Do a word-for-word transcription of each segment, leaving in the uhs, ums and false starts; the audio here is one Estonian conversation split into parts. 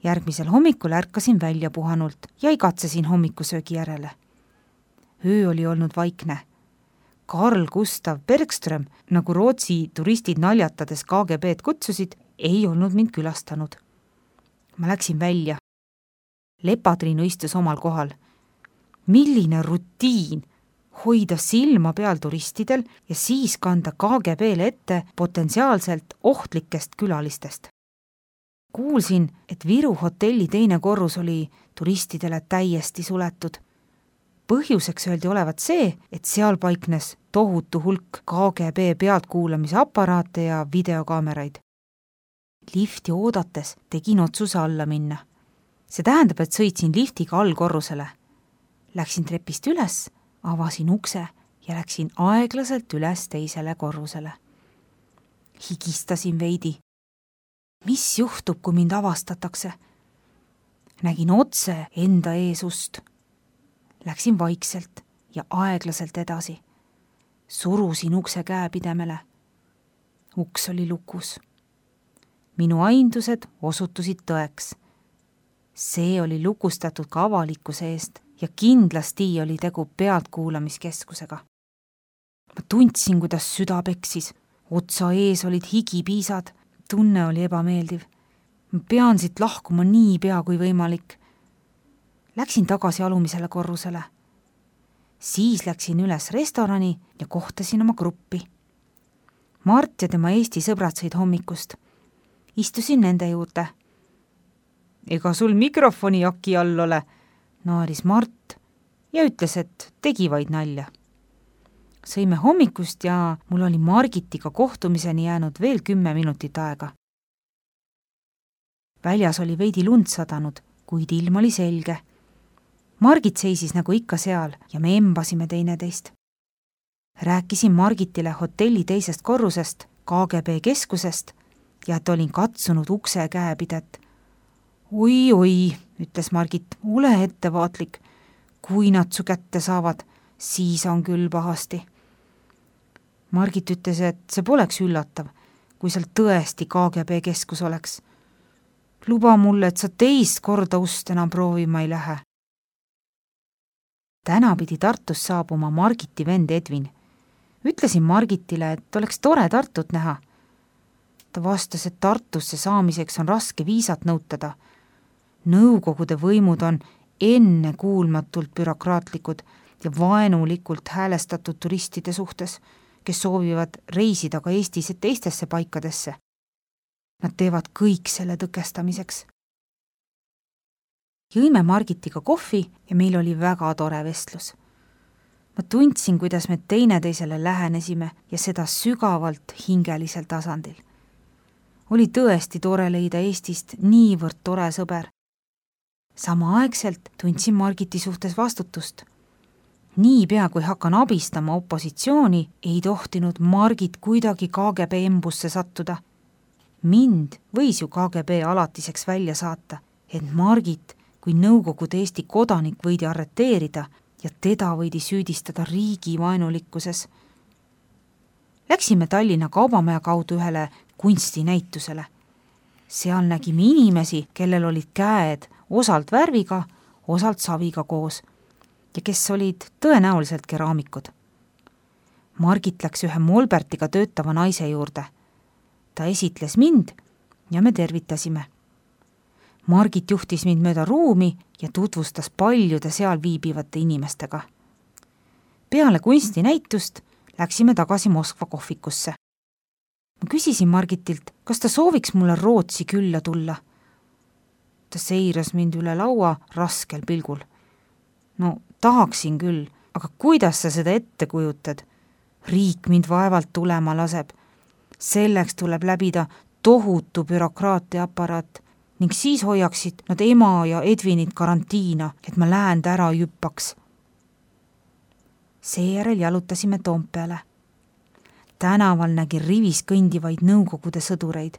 Järgmisel hommikul ärkasin välja puhanult ja igatsesin hommikusöögi järele. Öö oli olnud vaikne. Carl Gustav Bergström, nagu Rootsi turistid naljatades K G B-d kutsusid, ei olnud mind külastanud. Ma läksin välja. Lepatriinu istus omal kohal. Milline rutiin hoida silma peal turistidel ja siis kanda K G B-le ette potentsiaalselt ohtlikest külalistest. Kuulsin, et Viru hotelli teine korrus oli turistidele täiesti suletud. Põhjuseks öeldi olevat see, et seal paiknes tohutu hulk K G B pealtkuulamise aparaate ja videokaameraid. Lifti oodates tegin otsuse alla minna. See tähendab, et sõitsin liftiga allkorrusele. Läksin trepist üles, avasin ukse ja läksin aeglaselt üles teisele korrusele. Higistasin veidi. Mis juhtub, kui mind avastatakse? Nägin otse enda ees ust. Läksin vaikselt ja aeglaselt edasi. Surusin ukse käepidemele. Uks oli lukus. Minu aindused osutusid tõeks. See oli lukustatud ka avalikkuse eest ja kindlasti oli tegu pealtkuulamiskeskusega. Ma tundsin, kuidas süda peksis. Otsa ees olid higipiisad. Tunne oli ebameeldiv. Ma pean siit lahkuma nii pea kui võimalik. Läksin tagasi alumisele korrusele. Siis läksin üles restorani ja kohtasin oma gruppi. Mart ja tema Eesti sõbrad sõid hommikust. Istusin nende juurde. Ega sul mikrofoni jaki all ole, naaris Mart ja ütles, et tegi vaid nalja. Sõime hommikust ja mul oli Margitiga kohtumiseni jäänud veel kümme minutit aega. Väljas oli veidi lund sadanud, kuid ilm oli selge. Margit seisis nagu ikka seal ja me embasime teineteist. Rääkisin Margitile hotelli teisest korrusest, K G B keskusest ja et olin katsunud ukse käepidet. Oi, oi, ütles Margit, ole ettevaatlik. Kui nad su kätte saavad, siis on küll pahasti. Margit ütles, et see poleks üllatav, kui seal tõesti K G B keskus oleks. Luba mulle, et sa teist korda ust enam proovima ei lähe. Täna pidi Tartus saabuma Margiti vend Edvin. Ütlesin Margitile, et oleks tore Tartut näha. Ta vastas, et Tartusse saamiseks on raske viisat nõutada. Nõukogude võimud on ennekuulmatult bürokraatlikud ja vaenulikult häälestatud turistide suhtes, kes soovivad reisida ka Eestis teistesse paikadesse. Nad teevad kõik selle tõkestamiseks. Jõime Margitiga kohvi ja meil oli väga tore vestlus. Ma tundsin, kuidas me teineteisele lähenesime ja seda sügavalt hingelisel tasandil. Oli tõesti tore leida Eestist niivõrd tore sõber. Samaaegselt tundsin Margiti suhtes vastutust. Nii pea, kui hakkan abistama opositsiooni, ei tohtinud Margit kuidagi K G B embusse sattuda. Mind võis ju K G B alatiseks välja saata, et Margit kui Nõukogude Eesti kodanik võidi arreteerida ja teda võidi süüdistada riigi vaenulikkuses. Läksime Tallinna Kaubamaja kaudu ühele kunstinäitusele. Seal nägime inimesi, kellel olid käed osalt värviga, osalt saviga koos ja kes olid tõenäoliselt keraamikud. Margit läks ühe Molbertiga töötava naise juurde. Ta esitles mind ja me tervitasime. Margit juhtis mind mööda ruumi ja tutvustas paljude seal viibivate inimestega. Peale kunstinäitust läksime tagasi Moskva kohvikusse. Ma küsisin Margitilt, kas ta sooviks mulle Rootsi külla tulla. Ta seiras mind üle laua raskel pilgul. No tahaksin küll, aga kuidas sa seda ette kujutad? Riik mind vaevalt tulema laseb. Selleks tuleb läbida tohutu bürokraatia aparaat ning siis hoiaksid nad ema ja Edvinit karantiina, et ma läände ära jüppaks. Seejärel jalutasime Toompeale. Tänaval nägi rivis kõndivaid Nõukogude sõdureid.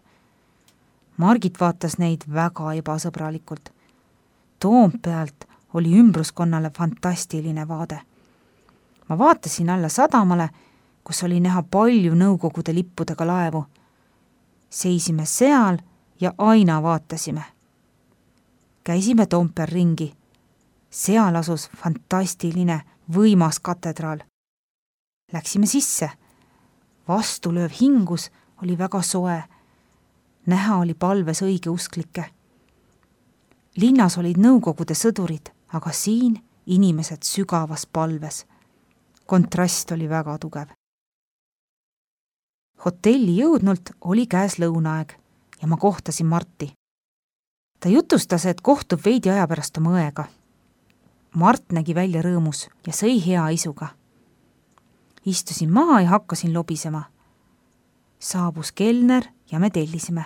Margit vaatas neid väga ebasõbralikult. Toompealt oli ümbruskonnale fantastiline vaade. Ma vaatasin alla sadamale, kus oli näha palju Nõukogude lippudega laevu. Seisime seal ja aina vaatasime. Käisime Toompeal ringi. Seal asus fantastiline, võimas katedraal. Läksime sisse. Vastulööv hingus oli väga soe. Näha oli palves õigeusklikke. Linnas olid nõukogude sõdurid, aga siin inimesed sügavas palves. Kontrast oli väga tugev. Hotelli jõudnult oli käes lõunaaeg ja ma kohtasin Marti. Ta jutustas, et kohtub veidi aja pärast oma õega. Mart nägi välja rõõmus ja sõi hea isuga. Istusin maha ja hakkasin lobisema. Saabus kelner ja me tellisime.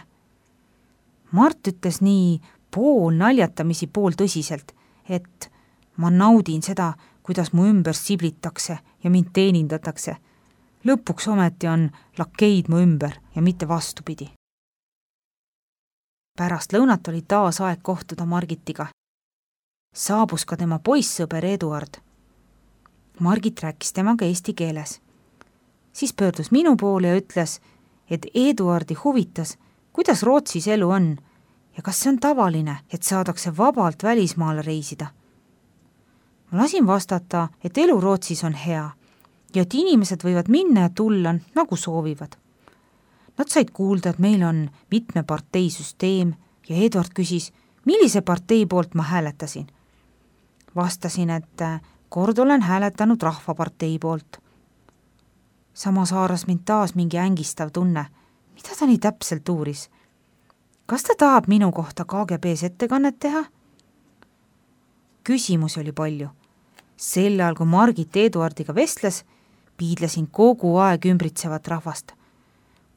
Mart ütles nii pool naljatamisi pool tõsiselt, et ma naudin seda, kuidas mu ümber siblitakse ja mind teenindatakse. Lõpuks ometi on lakeid mu ümber ja mitte vastupidi. Pärast lõunat oli taas aeg kohtuda Margitiga. Saabus ka tema poissõber Eduard. Margit rääkis temaga eesti keeles. Siis pöördus minu poole ja ütles, et Eduardi huvitas, kuidas Rootsis elu on ja kas see on tavaline, et saadakse vabalt välismaale reisida. Ma lasin vastata, et elu Rootsis on hea ja et inimesed võivad minna ja tulla, nagu soovivad. Nad said kuulda, et meil on mitme partei süsteem ja Eduard küsis, millise partei poolt ma hääletasin. Vastasin, et kord olen hääletanud Rahvapartei poolt. Samas haaras mind taas mingi ängistav tunne. Mida ta nii täpselt uuris? Kas ta tahab minu kohta K G B-s ettekannet teha? Küsimusi oli palju. Sel ajal, kui Margit Eduardiga vestles, piidlesin kogu aeg ümbritsevat rahvast.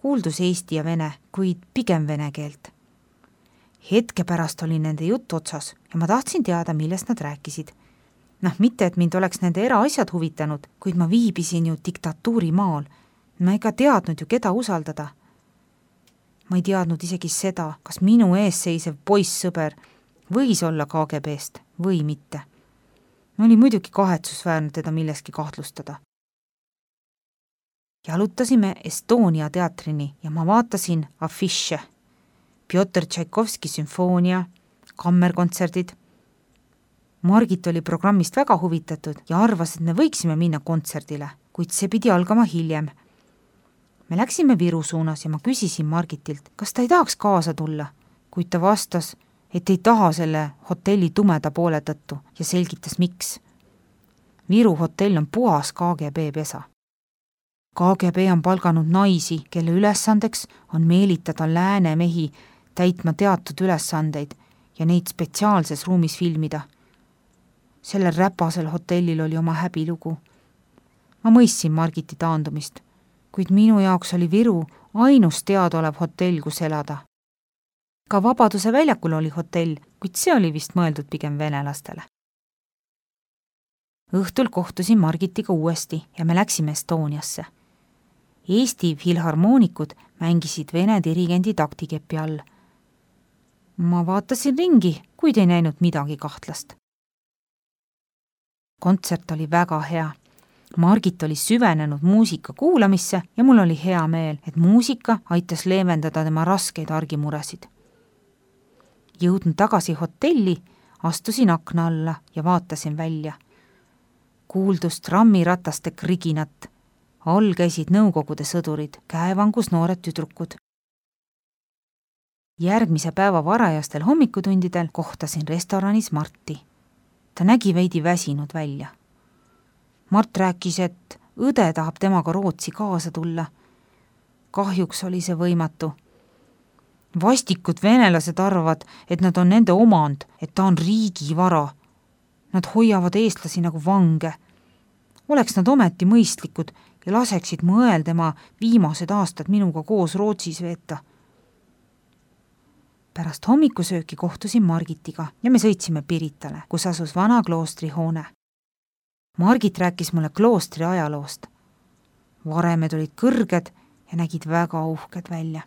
Kuuldus eesti ja vene, kuid pigem vene keelt. Hetke pärast oli nende jutt otsas ja ma tahtsin teada, millest nad rääkisid. Noh, mitte, et mind oleks nende eraasjad huvitanud, kuid ma viibisin ju diktatuuri maal. Ma ega teadnud ju, keda usaldada. Ma ei teadnud isegi seda, kas minu ees seisev poissõber võis olla K G B-st või mitte. Oli muidugi kahetsusväärne teda milleski kahtlustada. Jalutasime Estonia teatrini ja ma vaatasin afiše. Pjotr Tšaikovski sümfoonia, kammerkontserdid. Margit oli programmist väga huvitatud ja arvas, et me võiksime minna kontserdile, kuid see pidi algama hiljem. Me läksime Viru suunas ja ma küsisin Margitilt, kas ta ei tahaks kaasa tulla, kuid ta vastas, et ei taha selle hotelli tumeda poole tõttu ja selgitas, miks. Viru hotell on puhas K G B pesa. K G B on palganud naisi, kelle ülesandeks on meelitada lääne mehi täitma teatud ülesandeid ja neid spetsiaalses ruumis filmida. Sellel räpasel hotellil oli oma häbilugu. Ma mõistsin Margiti taandumist, kuid minu jaoks oli Viru ainus teadaolev hotell, kus elada. Ka Vabaduse väljakul oli hotell, kuid see oli vist mõeldud pigem venelastele. Õhtul kohtusin Margitiga uuesti ja me läksime Estoniasse. Eesti filharmoonikud mängisid vene dirigendi taktikepi all. Ma vaatasin ringi, kuid ei näinud midagi kahtlast. Kontsert oli väga hea. Margit oli süvenenud muusika kuulamisse ja mul oli hea meel, et muusika aitas leevendada tema raskeid argimuresid. Jõudnud tagasi hotelli, astusin akna alla ja vaatasin välja. Kuuldus trammirataste kriginat. All käisid nõukogude sõdurid, käevangus noored tüdrukud. Järgmise päeva varajastel hommikutundidel kohtasin restoranis Marti. Ta nägi veidi väsinud välja. Mart rääkis, et õde tahab temaga Rootsi kaasa tulla. Kahjuks oli see võimatu. Vastikud venelased arvavad, et nad on nende omand, et ta on riigi vara. Nad hoiavad eestlasi nagu vange. Oleks nad ometi mõistlikud ja laseksid mõel tema viimased aastad minuga koos Rootsis veeta. Pärast hommikusööki kohtusin Margitiga ja me sõitsime Piritale, kus asus vana kloostri hoone. Margit rääkis mulle kloostri ajaloost. Varemed olid kõrged ja nägid väga uhked välja.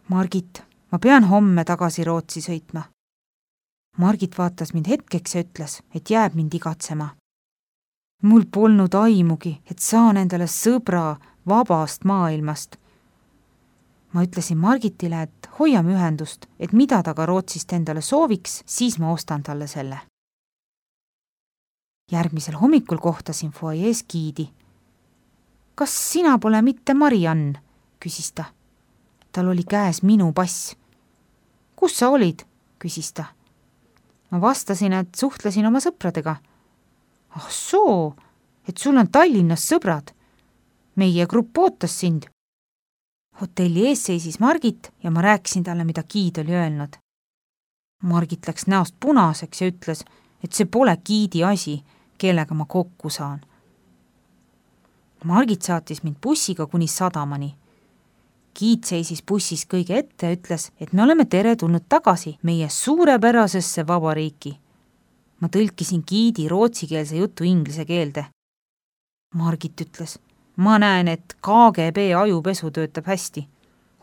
Margit, ma pean homme tagasi Rootsi sõitma. Margit vaatas mind hetkeks ja ütles, et jääb mind igatsema. Mul polnud aimugi, et saan endale sõbra vabast maailmast. ma ütlesin Margitile, et hoiame ühendust, et mida ta ka Rootsist endale sooviks, siis ma ostan talle selle. Järgmisel hommikul kohtasin fuajees giidi. Kas sina pole mitte Mariann, küsis ta. Tal oli käes minu pass. Kus sa olid, küsis ta. Ma vastasin, et suhtlesin oma sõpradega. Ah soo, et sul on Tallinnas sõbrad. Meie grupp ootas sind. Hotelli ees seisis Margit ja ma rääkisin talle, mida giid oli öelnud. Margit läks näost punaseks ja ütles, et see pole giidi asi, kellega ma kokku saan. Margit saatis mind bussiga kuni sadamani. Giid seisis bussis kõige ette ja ütles, et me oleme tere tulnud tagasi meie suurepärasesse vabariiki. Ma tõlkisin giidi rootsikeelse jutu inglise keelde. Margit ütles, ma näen, et K G B ajupesu töötab hästi.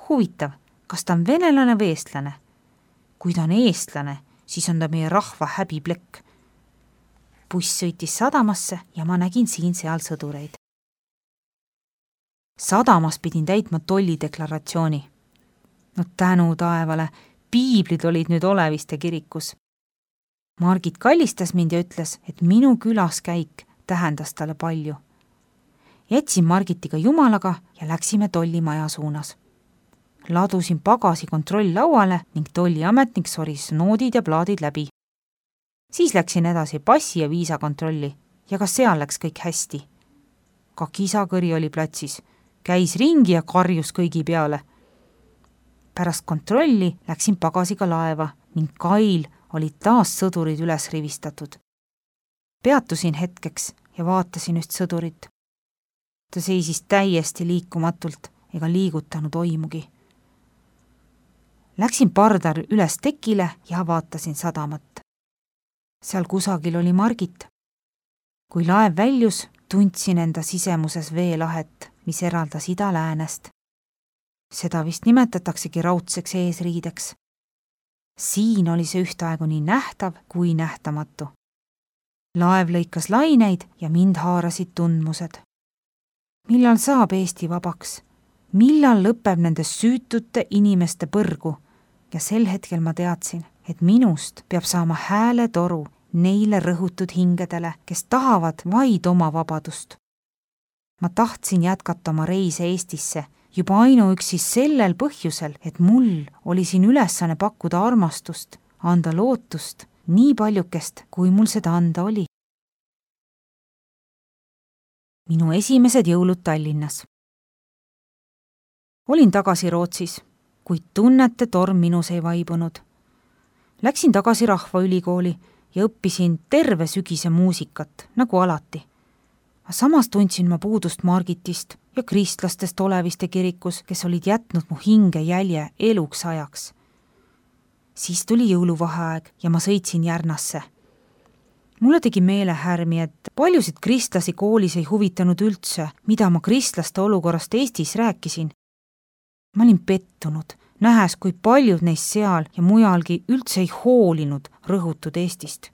Huvitav, kas ta on venelane või eestlane? Kui ta on eestlane, siis on ta meie rahva häbiplekk. Buss sõitis sadamasse ja ma nägin siin-seal sõdureid. Sadamas pidin täitma tollideklaratsiooni. No tänu taevale, piiblid olid nüüd Oleviste kirikus. Margit kallistas mind ja ütles, et minu külaskäik tähendas talle palju. Jätsin Margitiga jumalaga ja läksime tollimaja suunas. Ladusin pagasi kontroll lauale ning tolliametnik soris noodid ja plaadid läbi. Siis läksin edasi passi ja viisakontrolli ja ka seal läks kõik hästi. Ka kisakõri oli platsis, käis ringi ja karjus kõigi peale. Pärast kontrolli läksin pagasiga laeva ning kail olid taas sõdurid üles rivistatud. Peatusin hetkeks ja vaatasin üht sõdurit. Ta seisis täiesti liikumatult ega liigutanud oimugi. Läksin pardar üles tekile ja vaatasin sadamat. Seal kusagil oli Margit. Kui laev väljus, tundsin enda sisemuses veelahet, mis eraldas ida läänest. Seda vist nimetataksegi raudseks eesriideks. Siin oli see ühtaegu nii nähtav kui nähtamatu. Laev lõikas laineid ja mind haarasid tundmused. Millal saab Eesti vabaks? Millal lõpeb nende süütute inimeste põrgu? Ja sel hetkel ma teadsin, et minust peab saama hääle toru neile rõhutud hingedele, kes tahavad vaid oma vabadust. Ma tahtsin jätkata oma reise Eestisse juba ainuüksi sellel põhjusel, et mul oli siin ülesanne pakkuda armastust, anda lootust nii paljukest, kui mul seda anda oli. Minu esimesed jõulud Tallinnas. Olin tagasi Rootsis, kuid tunnete torm minus ei vaibunud. Läksin tagasi Rahvaülikooli ja õppisin terve sügise muusikat, nagu alati. Samas tundsin ma puudust Margitist ja kristlastest Oleviste kirikus, kes olid jätnud mu hinge jälje eluks ajaks. Siis tuli jõuluvaheaeg ja ma sõitsin Järnasse. Mulle tegi meelehärmi, et paljusid kristlasi koolis ei huvitanud üldse, mida ma kristlaste olukorrast Eestis rääkisin. Ma olin pettunud, nähes, kui paljud neist seal ja mujalgi üldse ei hoolinud rõhutud Eestist.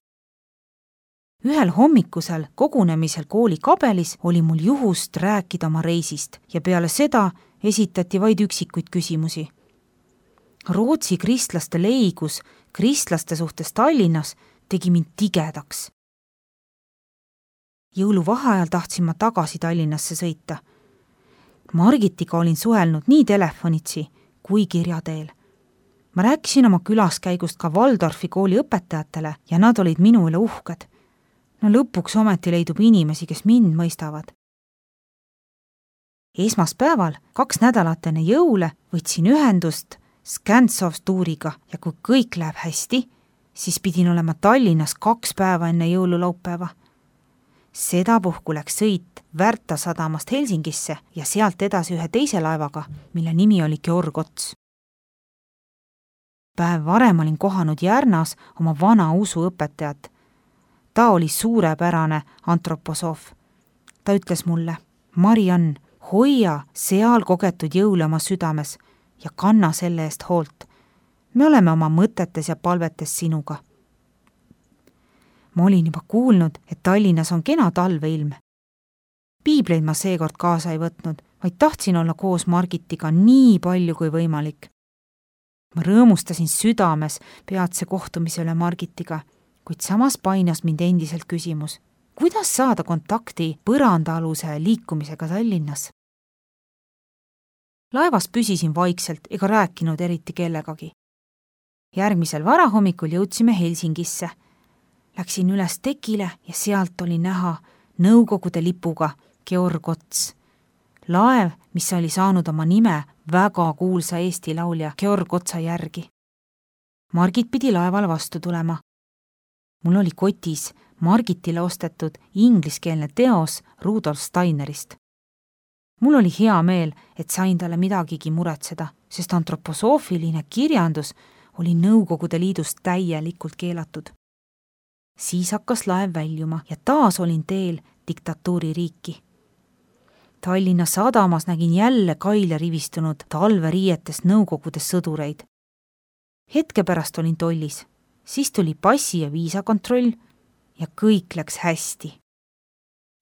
Ühel hommikusel kogunemisel kooli kabelis oli mul juhust rääkida oma reisist ja peale seda esitati vaid üksikuid küsimusi. Rootsi kristlaste leigus kristlaste suhtes Tallinnas tegi mind tigedaks. Jõuluvaheajal tahtsin ma tagasi Tallinnasse sõita. Margitiga olin suhelnud nii telefonitsi kui kirjateel. Ma rääkisin oma külaskäigust ka Waldorfi kooli õpetajatele ja nad olid minu üle uhked. No lõpuks ometi leidub inimesi, kes mind mõistavad. Esmaspäeval, kaks nädalat enne jõule, võtsin ühendust Scantsov-tuuriga ja kui kõik läheb hästi, siis pidin olema Tallinnas kaks päeva enne jõululaupäeva. Seda puhku läks sõit Värta sadamast Helsingisse ja sealt edasi ühe teise laevaga, mille nimi oli Georg Ots. Päev varem olin kohanud Järnas oma vana usuõpetajat. Ta oli suurepärane antroposoof. Ta ütles mulle, Mariann, hoia seal kogetud jõule oma südames ja kanna selle eest hoolt. Me oleme oma mõtetes ja palvetes sinuga. Ma olin juba kuulnud, et Tallinnas on kena talveilm. Piibleid ma seekord kaasa ei võtnud, vaid tahtsin olla koos Margitiga nii palju kui võimalik. Ma rõõmustasin südames peatse kohtumise üle Margitiga, kuid samas painas mind endiselt küsimus, kuidas saada kontakti põrandaaluse liikumisega Tallinnas. Laevas püsisin vaikselt ega rääkinud eriti kellegagi. Järgmisel varahommikul jõudsime Helsingisse. Läksin üles tekile ja sealt oli näha Nõukogude lipuga Georg Ots. Laev, mis oli saanud oma nime väga kuulsa Eesti laulja Georg Otsa järgi. Margit pidi laeval vastu tulema. Mul oli kotis Margitile ostetud ingliskeelne teos Rudolf Steinerist. Mul oli hea meel, et sain talle midagigi muretseda, sest antroposoofiline kirjandus oli Nõukogude Liidus täielikult keelatud. Siis hakkas laev väljuma ja taas olin teel diktatuuri riiki. Tallinna sadamas nägin jälle kaile rivistunud talveriietes Nõukogude sõdureid. Hetke pärast olin tollis, siis tuli passi- ja viisakontroll ja kõik läks hästi.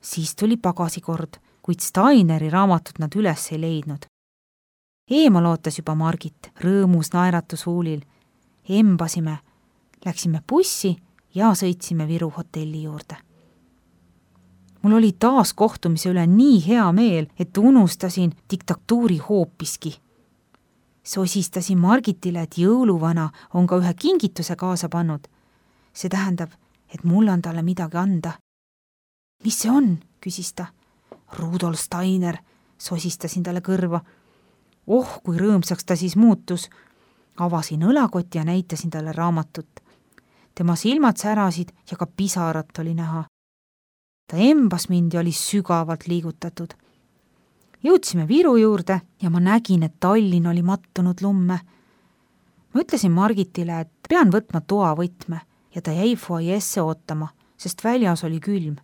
Siis tuli pagasikord, kuid Steineri raamatut nad üles ei leidnud. Eemal ootas juba Margit, rõõmus naeratus huulil. Embasime, läksime bussi ja sõitsime Viru hotelli juurde. Mul oli taas kohtumise üle nii hea meel, et unustasin diktatuuri hoopiski. Sosistasin Margitile, et jõuluvana on ka ühe kingituse kaasa pannud. See tähendab, et mul on talle midagi anda. Mis see on, küsis ta. Rudolf Steiner, sosistasin talle kõrva. Oh, kui rõõmsaks ta siis muutus. Avasin õlakoti ja näitasin talle raamatut. Tema silmad särasid ja ka pisarat oli näha. Ta embas mind ja oli sügavalt liigutatud. Jõudsime Viru juurde ja ma nägin, et Tallinn oli mattunud lumme. Ma ütlesin Margitile, et pean võtma toa võtme ja ta jäi foajesse ootama, sest väljas oli külm.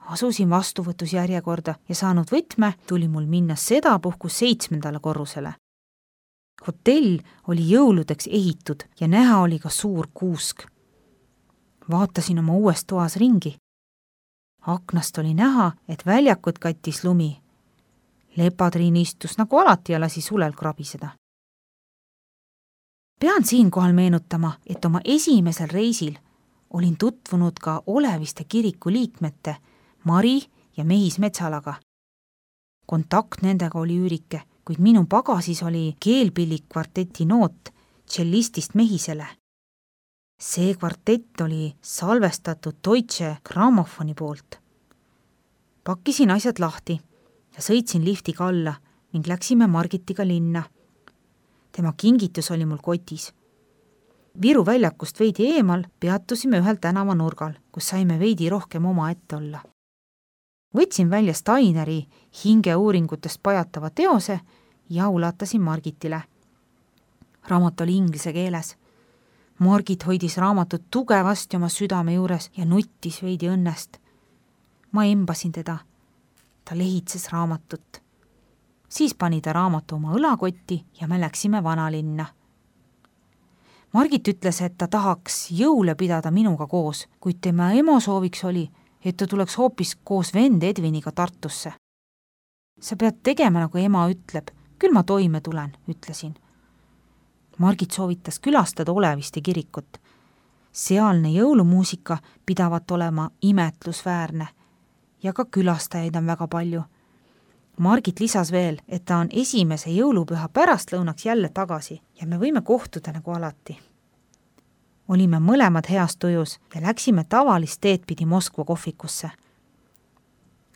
Asusin vastuvõtus järjekorda ja saanud võtme tuli mul minna sedapuhku seitsmendale korrusele. Hotell oli jõuludeks ehitud ja näha oli ka suur kuusk. Vaatasin oma uues toas ringi. Aknast oli näha, et väljakut kattis lumi. Lepatriin istus nagu alati ja lasi sulel krabiseda. Pean siinkohal meenutama, et oma esimesel reisil olin tutvunud ka Oleviste kiriku liikmete Mari ja Mehis Metsalaga. Kontakt nendega oli üürike, kuid minu pagasis oli keelpillik kvarteti noot tšellistist Mehisele. See kvartett oli salvestatud Deutsche Grammofoni poolt. Pakkisin asjad lahti ja sõitsin liftiga alla ning läksime Margitiga linna. Tema kingitus oli mul kotis. Viru väljakust veidi eemal peatusime ühel tänava nurgal, kus saime veidi rohkem oma ette olla. Võtsin välja Steineri hingeuuringutest pajatava teose ja ulatasin Margitile. Raamat oli inglise keeles. Margit hoidis raamatut tugevasti oma südame juures ja nuttis veidi õnnest. Ma embasin teda. Ta lehitses raamatut. Siis pani ta raamatu oma õlakotti ja me läksime vanalinna. Margit ütles, et ta tahaks jõule pidada minuga koos, kuid tema emo sooviks oli, et ta tuleks hoopis koos vend Edviniga Tartusse. Sa pead tegema, nagu ema ütleb. Küll ma toime tulen, ütlesin. Margit soovitas külastada Oleviste kirikut. Sealne jõulumuusika pidavat olema imetlusväärne ja ka külastajaid on väga palju. Margit lisas veel, et ta on esimese jõulupüha pärastlõunaks jälle tagasi ja me võime kohtuda nagu alati. Olime mõlemad heas tujus ja läksime tavalist teed pidi Moskva kohvikusse.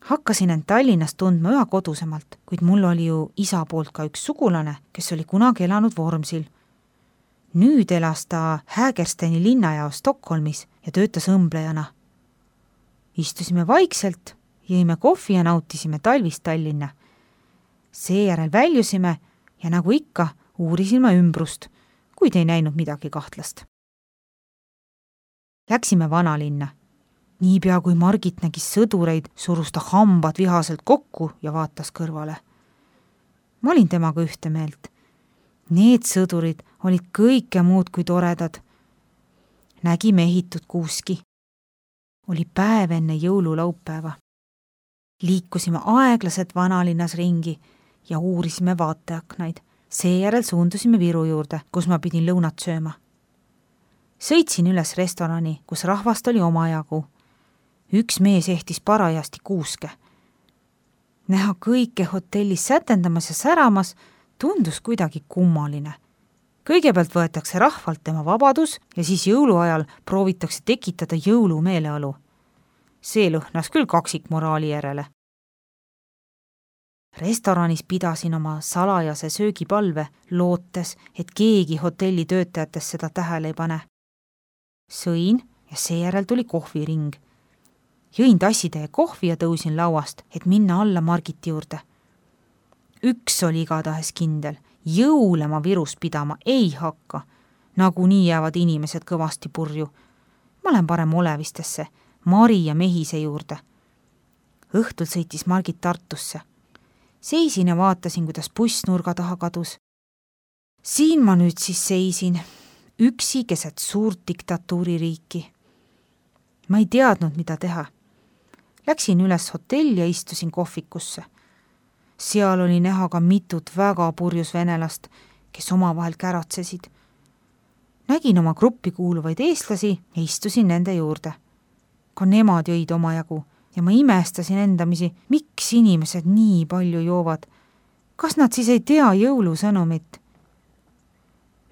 Hakkasin end Tallinnas tundma üha kodusemalt, kuid mul oli ju isa poolt ka üks sugulane, kes oli kunagi elanud Vormsil. Nüüd elas ta Hägersteni linnajaos Stockholmis ja töötas õmblejana. Istusime vaikselt, jõime kohvi ja nautisime talvist Tallinna. Seejärel väljusime ja nagu ikka uurisime ümbrust, kuid ei näinud midagi kahtlast. Läksime vanalinna. Niipea kui Margit nägis sõdureid, surus ta hambad vihaselt kokku ja vaatas kõrvale. Ma olin temaga ühte meelt. Need sõdurid olid kõike muud kui toredad. Nägime ehitud kuuski. Oli päev enne jõululaupäeva. Liikusime aeglaselt vanalinnas ringi ja uurisime vaateaknaid. Seejärel suundusime Viru juurde, kus ma pidin lõunat sööma. Sõitsin üles restorani, kus rahvast oli omajagu. Üks mees ehtis parajasti kuuske. Näha kõike hotellis sätendamas ja säramas tundus kuidagi kummaline. Kõigepealt võetakse rahvalt tema vabadus ja siis jõuluajal proovitakse tekitada jõulumeeleolu. See lõhnas küll kaksikmoraali järele. Restoranis pidasin oma salajase söögipalve, lootes, et keegi hotelli töötajatest seda tähele ei pane. Sõin ja seejärel tuli kohviring. Jõin tassitäie kohvi ja tõusin lauast, et minna alla Margiti juurde. Üks oli igatahes kindel, jõule ma Virus pidama ei hakka. Nagu nii jäävad inimesed kõvasti purju. Ma lähen parem Olevistesse, Mari ja Mehise juurde. Õhtul sõitis Margit Tartusse. Seisin ja vaatasin, kuidas buss nurga taha kadus. Siin ma nüüd siis seisin, üksi keset suurt diktatuuririiki. Ma ei teadnud, mida teha. Läksin üles hotelli ja istusin kohvikusse. Seal oli näha ka mitut väga purjus venelast, kes omavahel käratsesid. Nägin oma gruppi kuuluvaid eestlasi ja istusin nende juurde. Ka nemad jõid omajagu ja ma imestasin endamisi, miks inimesed nii palju joovad. Kas nad siis ei tea jõulusõnumit?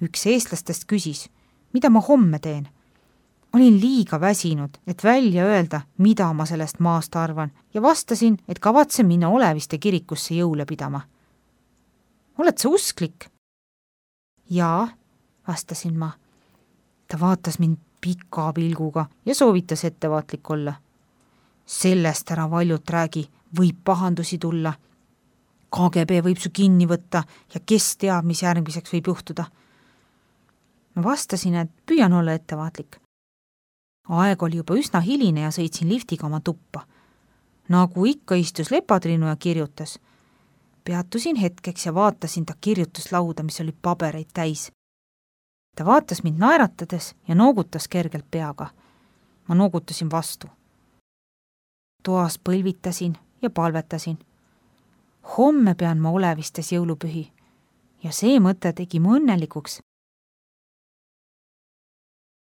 Üks eestlastest küsis, mida ma homme teen. Olin liiga väsinud, et välja öelda, mida ma sellest maast arvan ja vastasin, et kavatsen minna Oleviste kirikusse jõule pidama. Oled sa usklik? Jaa, vastasin ma. Ta vaatas mind pika pilguga ja soovitas ettevaatlik olla. Sellest ära valjult räägi, võib pahandusi tulla. K G B võib su kinni võtta ja kes teab, mis järgmiseks võib juhtuda. Ma vastasin, et püüan olla ettevaatlik. Aeg oli juba üsna hiline ja sõitsin liftiga oma tuppa. Nagu ikka istus Lepatrinu ja kirjutas. Peatusin hetkeks ja vaatasin ta kirjutuslauda, mis oli pabereid täis. Ta vaatas mind naeratades ja noogutas kergelt peaga. Ma noogutasin vastu. Toas põlvitasin ja palvetasin. Homme pean ma Olevistes jõulupühi ja see mõte tegi mu õnnelikuks,